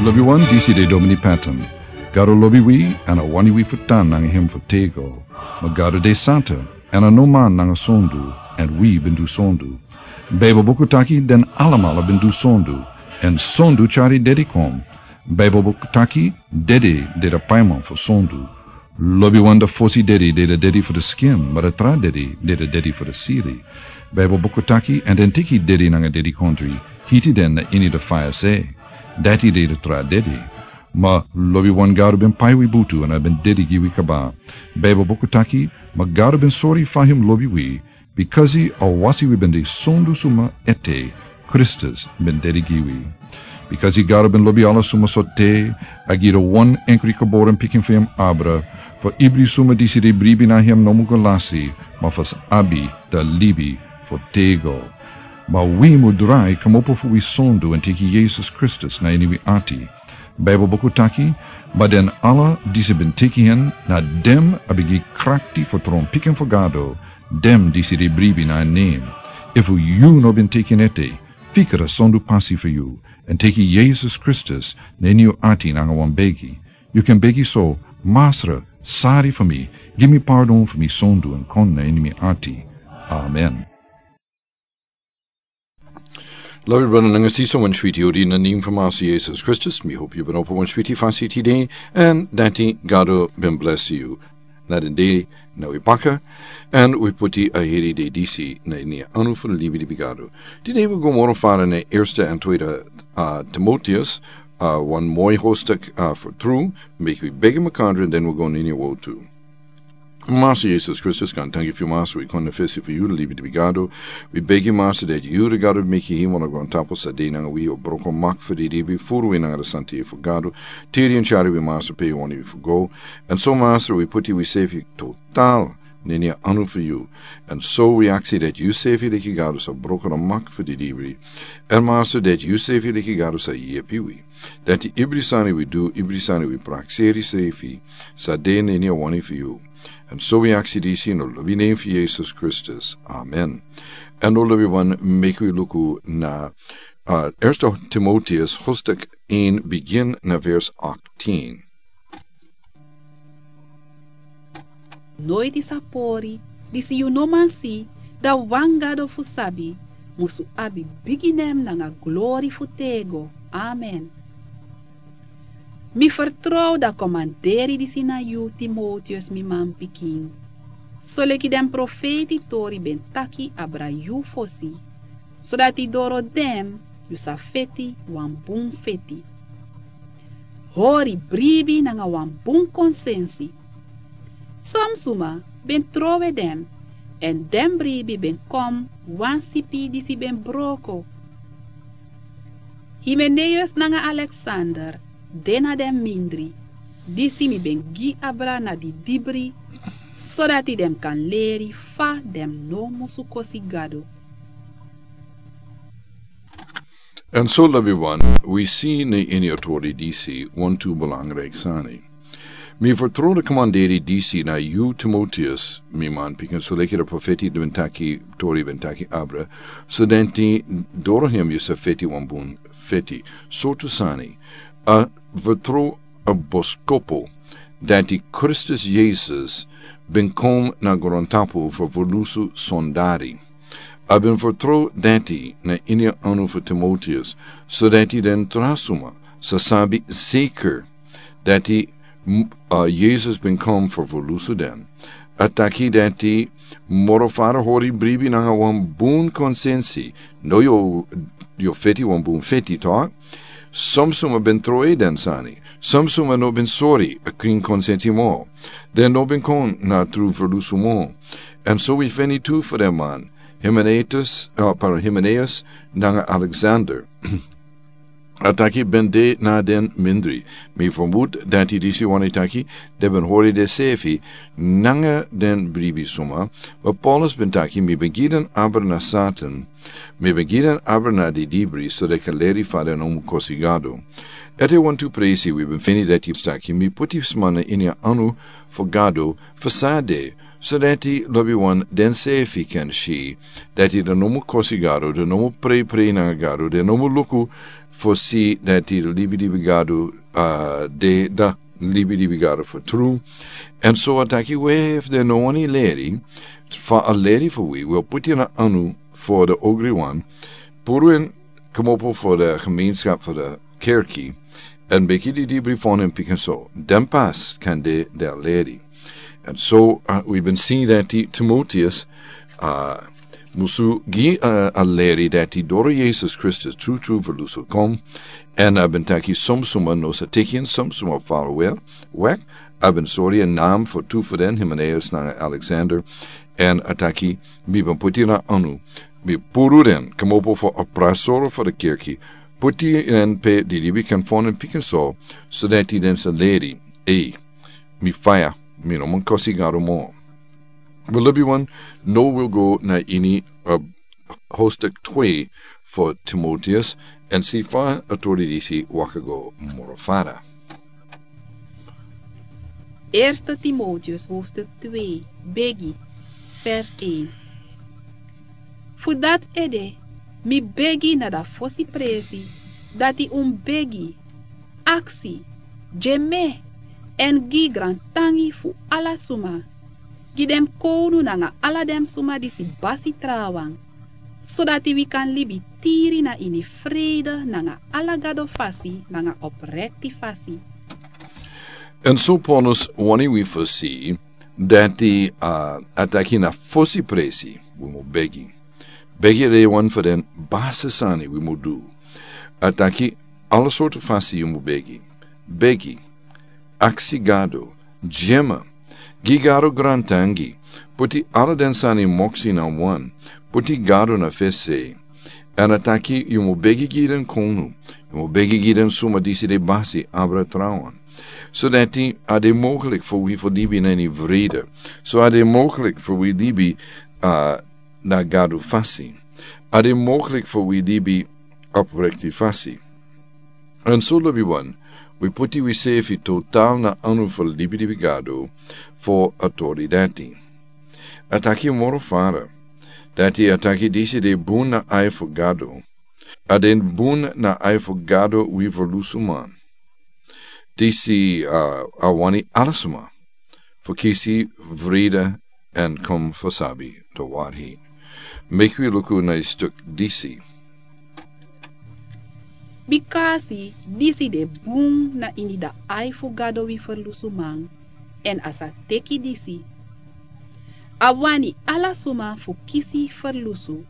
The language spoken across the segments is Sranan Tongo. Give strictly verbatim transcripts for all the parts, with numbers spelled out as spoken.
Lobiwan, disi de Domini Patton. Gado lobi wi, èn a wani wi fu tan nanga hem fu tego. Ma Gado de santa, èn a no man nanga sondu, èn wi ben du sondu. Baibel buku taki den alamala ben du sondu, èn sondu tyari dedi kon. Baibel buku taki dedi de a paiman fu sondu. Lobiwan, a fosi dedi de a dedi fu a skin, ma a tra dedi de a dedi fu a sili. Baibel buku taki, èn den teki dedi nanga dedikondri, hiti den na ini a faya se. Dati de a tra dedi. Ma lobiwan, Gado ben pai wi butu èn a ben dedi gi wi kaba. Baibel buku taki, ma Gado ben sori fa hem lobi wi, bikasi a wasi wi ben de sondu suma ete, Kristus ben dedi gi wi. Bikasi Gado ben lobi ala suma so te, a gi a wan enkri geboren pikin fu hem abra, fu ibri suma disi de bribi na hem no mu go lasi, ma fu sa abi a libi fu tego. Ma wi mu drai kmopo fu wi sondu èn teki Yesus Kristus na ini wi ati. Baibel buku taki, ma den ala disi ben teki hem, na den a ben gi krakti fu tron pikin fu Gado, den disi de bribi na nen. Efu yu no ben teki en ete, fika a sondu pasi fu yu, èn teki Yesus Kristus na ini yu ati nanga wan begi. Yu kan begi so: Masra, sari fu mi, gi mi pardon fu mi sondu èn kon na ini mi ati. Amen. Lobi brada nanga sisa, wan switi odi na nen fu Masra Yesus Kristus. Mi hopi yu ben opo wan switi fasi tide, èn dati Gado ben blesi yu. Na den dei na wi baka, èn wi puti a heri dei disi na ini a anu fu libi di Gado. Tide wi go moro fara na Eerste en Tweede, uh, Timotheus, uh, wan moi hoofdstuk, uh, fu tru, meki wi begi makandra, den wi go na ini a wotu. Masra Yesus Kristus, kan tanki fu yu, Masra, wi kon na fesi fu yu, libi di Gado. Wi begi, Masra, dati yu, di Gado meki hemel nanga grontapu, sa de nanga wi, o broko mak fu di libi, furu wi nanga a santa fu Gado. Tiri èn tyari wi, Masra, pe yu wani wi fu go. Èn so, Masra, wi puti wi sefi total na ini a anu fu yu. Èn so wi aksi dati yu sefi leki Gado sa broko a mak fu di libi. Èn Masra, dati yu sefi leki Gado sa yepi wi. Dati ibri sani wi du, ibri sani wi prakseri sefi, sa de na ini a wani fu yu. Èn so wi aksi disi na a lobi nen fu Yesus Kristus. Amen. Èn now, lobiwan, meki wi luku na, uh, Eerste Timotheus hoofdstuk een, begin na vers achttien. Noiti sa pori, disi yu no man si, dan wan Gado fu sabi, musu abi bigi nen nanga glori fu tego. Amen. Mi fertrow dan komanderi disi na yu, Timotheus, mi manpikin. Soleki den profeiti tori ben taki abra yu fosi, sodati doro den yu sa feti wan bun feti. Hori bribi nanga wan bun konsensi. Son suma ben trowe den, èn den bribi ben kon wan sipi disi ben broko. Himeneus nanga Alexander de na den mindri, disi mi ben gi abra na didibri, sodati den kan leri fa den no musu kosi Gado. Èn so, lobiwan, wi si na ini a tori disi wantu belangrijk sani. Mi fertrow dan komanderi disi na yu, Timotheus, mi manpikin, soleki a profeiti ben taki, tori ben taki abra, sodati doro hem yu sa feti wan bun feti. Sortu sani? A fertrow a boskopu dati Kristus Yesus ben kon na grontapu fu ferlusu sondari. A ben fertrow dati na ini a anu fu Timotheus, sodati den tra suma sa sabi zeker dati, m-, uh, Yesus ben kon fu ferlusu den. A taki dati moro fara hori bribi nanga wan bun konsensi, no yu, yu feti wan bun feti, toch? Son suma ben trowe den sani. Son suma no ben sori a krin konsensi mo. Den no ben kon na tru ferlusu mo. Èn so wi feni tu fu den man, Himeneus, uh, para Himeneus nanga Alexander. A taki ben de na den mindri. Mi fermut dati disi wani taki den ben hori densefi nanga den bribi suma. Ma Paulus ben taki, mi ben gi den abra na Satan, mi ben gi den abra na didibri, so den kan leri fa den no mu kosi Gado. Ete wantu presi wi ben feni dati taki, mi puti sma na ini a anu fu Gado fu san a de, So dati lobi wan den sefi kan si dati den no mu kosi Gado, den no mu preiprei nanga Gado, den no mu luku fo si dati libi libi Gado, ah, de da libi libi Gado fo tru. Èn so a taki we fu den no wani leri, fa a leri fo wi, wi o puti na anu fo den ogri wan, puru en kmopo fo den gemeenskap fo den kerki, èn beki di di brifon en pikin so, den pas kan de den leri. Èn so, ah, wi ben si dati Timoteus, ah, musu gi, ah, a leri dati doro Jesus Kristus tru tru fu lusu kon. Èn a ben taki som suma no sa teki en, som suma fala wel, wek, a ben sori en nam fo tu fo den, Hymenaeus nanga Alexander. Èn a taki, mi ben puti na anu, mi puru den kmopo fo a prasoro fo den kerki, puti en pe di di wi kan fon en pikin so, so dati den sa leri, ei, mi faya, mi no man kosi Gado mo. Wi lobi wan, no wi go na ini, ah, hostek twe fo Timoteus, èn si fa a tori disi waka go moro fara. Eerste Timoteus hoofdstuk twee, begi, vers een. Fu dati ede, mi begi na da fosi presi, dati un begi, aksi, gi mi, èn gi grantangi fu ala suma, gi den kownu nanga ala den suma disi basi trawan, sodati wi kan libi tiri na ini vrede nanga ala Gado fasi nanga oprekti fasi. Èn so Paulus wani wi fosi, dati, ah, a taki na fosi presi, wi mu begi. Begi de wan fu den basi sani wi mu du. A taki ala sortu fasi yu mu begi. Begi, aksi Gado, gi mi, gi Gado grantangi, puti ala den sani moksi na wan, puti Gado na fesi. Èn a taki yu mu begi gi den kownu, yu mu begi gi den suma disi de basi abra trawan. So dati a de mogelijk fo wi fo libi na ini vrede. So a de mogelijk fo wi libi, ah, na Gado fasi. A de mogelijk fo wi libi oprekti fasi. Èn so lobi wan, wi puti wi sefi total na anu fo libi libi Gado fo a tori dati. A taki moro fara, dati a taki disi de bun na ai fo Gado. A de bun na ai fo Gado wi ferlusu man. Disi, ah, a wani ala suma fo kisi vrede èn kon fo sabi de waarheid. Meki wi luku na a stuk disi. Bikasi disi de bun na ini da ai fu Gado wi ferlusu man, èn a sa teki disi. A wani ala suma fu kisi ferlusu,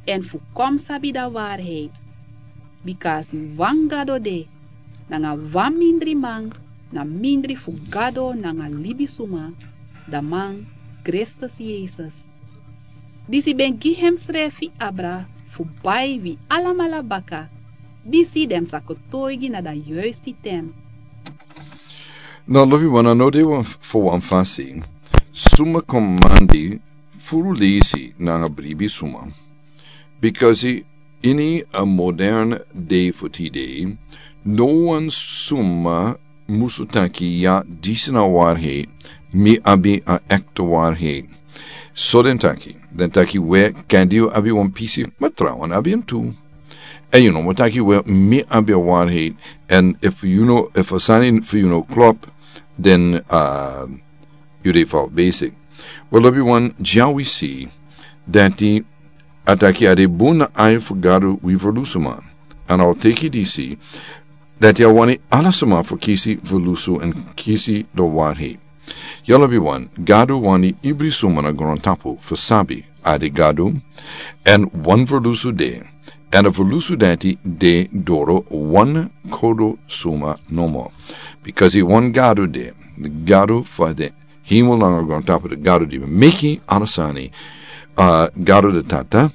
èn fu kon sabi da waarheid. Bikasi wan Gado de, nanga wan mindri man, na mindri fu Gado nanga libisuma, da man Kristus Yesus. Disi ben gi hemsrefi abra fu bai wi alamala baka, disi den sa kotoigi na da yuisti ten. Na lobi wan, a no de wan f-, fo wan fasi. Suma kon mandi furu leisi nanga bribi suma. Bikasi ini a modern dei fu tide, no wan suma musu taki ya disi na waarheid, mi abi a ekte waarheid. So den taki, den taki we kandi yu abi wan pisi, ma trawan abi en tu. Èn yu no mu taki we mi abi a waarheid, èn efu yu no, efu a sani fu yu no klop, den, ah, yu de fout bezig. Wel lobi wan, dya wi si, dati a taki a de bun na ai fu Gado wi ferlusu man. Èn a o teki disi, dati a wani ala suma fu kisi ferlusu èn kisi da waarheid. Ya lobi wan, Gado wani ibri suma na grontapu fu sabi a de Gado, èn wan ferlusu de, èn a ferlusu dati de doro wan kodo suma nomo. Bikasi wan Gado de, Gado fu de hemel nanga grontapu, de Gado di meki ala sani, ah, Gado de Tata,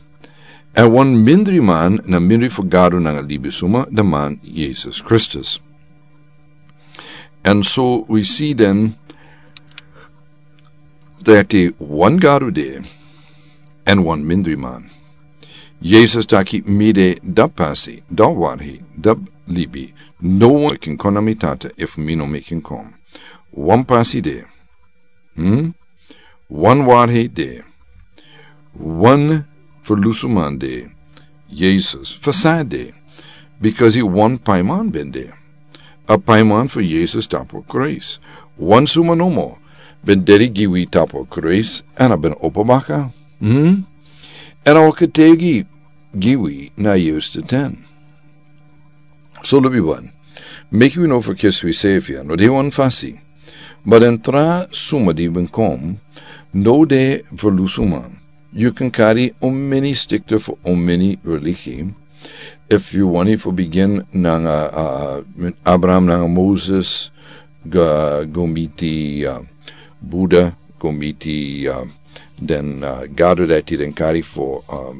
èn wan mindri man na mindri fu Gado nanga libisuma, de man Yesus Kristus. Èn so wi si den dati wan Gado de, èn wan mindri man. Yesus taki mi de da pasi, da waarheid, da libi, no wan kin kon na mi Tata efu mi no meki en kon. Wan pasi de. Hmm? Wan waarheid de. Wan ferlusuman de. Yesus. Fa san de? Bikasi wan paiman ben de. A paiman fu Yesus tapu a kruis. Wan suma nomo ben dede gi wi tapu a kruis, èn a ben opo baka. Hmm? Èn a o ketegi gi wi na a yeuste ten. So lobi wan, meki wi no ferkisi wi sefi, a no de wan fasi. Ma den tra suma di ben kon, no de ferlusuman. Yu kan kari omeni stikte fu omeni religi. Efu yu wani fu bigin nanga, a, a, Abraham nanga Moses, go, go miti, a, Buddha, go miti, a, den, a, gado dati den kari fu, a,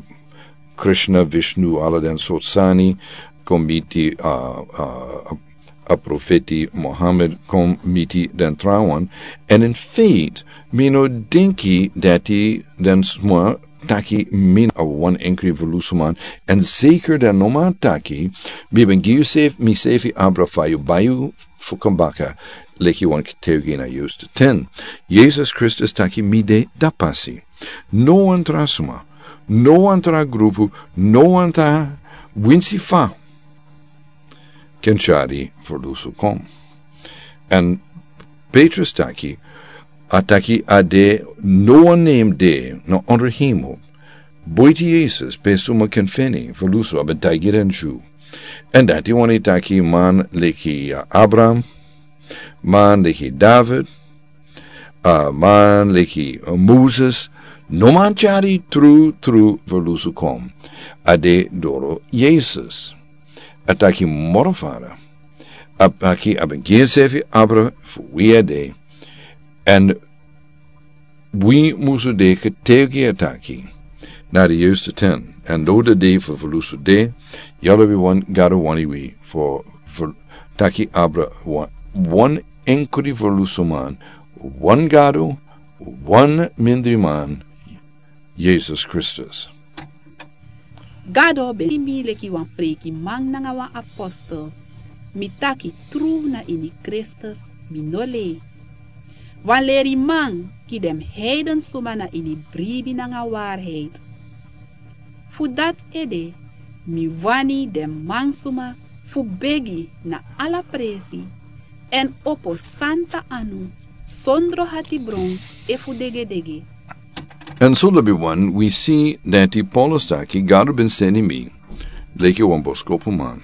Krishna, Vishnu, ala den sortu sani, go miti, a, a, a, a profeti Mohammed, go miti den trawan. Èn in feite, mi no denki dati den suma taki mi na wan enkri ferlusuman, èn zeker den no man taki, mi ben gi yu sefi, mi sefi abra fa yu bai yu fu kon baka, leki wan ketegi na yeuste ten. Yesus Kristus taki mi de dati pasi. No wan tra suma, no wan tra grupu, no wan tra winsi fa ken tyari ferlusu kon. Èn Petrus taki, a taki a de no wan nen de na ondro hemel buiti Yesus pe suma ken feni ferlusu, a ben taigi den Dyu. Èn dati wani taki man leki, a, Abraham, man leki David, a, man leki, a, Moses, no man tyari tru, tru ferlusu kon. A de doro Yesus. A taki moro fara. A taki a ben gi ensefi abra fu wi a de. Èn wi musu de ketegi a taki na di yeuste ten. Èn doro a de fu ferlusu de, ya lobi wan, Gado wani wi fu, fu taki abra wan, wan enkri ferlusuman, wan Gado, wan mindriman, Yesus Kristus. Gado ben seni mi leki wan freikiman nanga wan apostel. Mi taki tru na ini Kristus, mi no lei. Wan leriman gi den heiden suma na ini bribi nanga waarheid. Fu dati ede, mi wani den mansuma fu begi na ala presi, èn opo santa anu, sondro hatibron efu degedege. Èn so lobi wan, wi si dati Paulus taki, Gado ben seni mi leki wan boskopuman.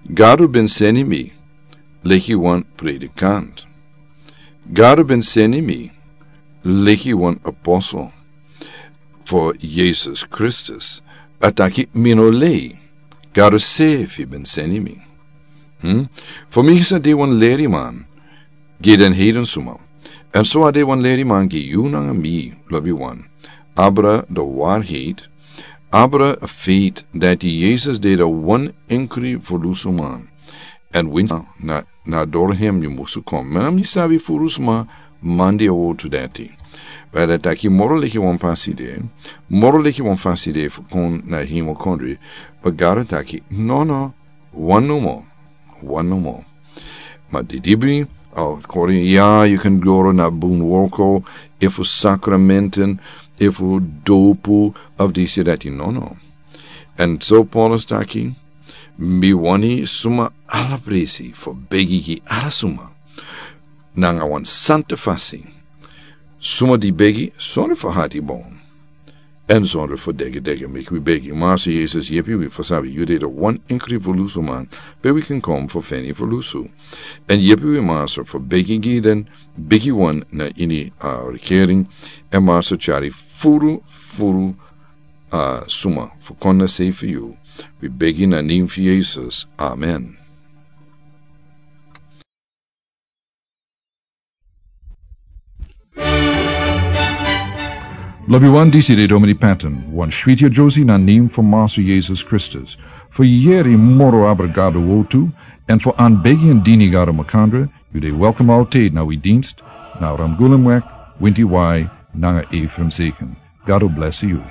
Gado ben seni mi leki wan predikant. Gado ben seni mi leki wan apostel fu Yesus Kristus. A taki mi no lei, Gado sefi ben seni mi. Hmm? Fu mi sa de wan leriman gi den heiden suma. Èn so a de wan leriman gi yu nanga mi, lobi wan. Abra di waarheid, abra a feite dati Yesus de di wan enkri ferlusuman. Èn winsi na, na doro hem yu musu kon. Ma mi sabi furu suma mandi a wortu dati. But a taki moro leki wan pasi de, moro leki wan fasi de fu kon na hemel kondre. But Gado taki, no, no, wan nomo, wan nomo. Ma di dibri, a kori, ya, yu kan doro na bun worko, efu sakramenten, efu dopu, of disi dati, no, no. Èn so Paulus taki, mi wani suma ala presi fu begi gi ala suma. Nanga wan santa fasi. Suma di begi, sondro fu hatibron. Èn sondro fu degedege, meki wi begi. Master Yesus, yepi wi fu sabi yu de di wan enkri ferlusuman, pe wi kan kon fu feni ferlusu. Èn yepi wi Master fu begi gi den bigiwan na ini a regering. Èn Master tyari furu, furu a suma fu kon na sei fu yu. Wi begi na nen fu Yesus. Amen. Lobi wan, disi de Domini Patton, wan switi a Josie na nen fu Master Yesus Kristus. Fu yere moro abra Gado wortu, èn fu anbegi èn dini Gado makandra, yu de welkom altijd na wi dienst, na Ramgulumweg, winti wai, nanga Ephraim Zeken. Gado bless yu.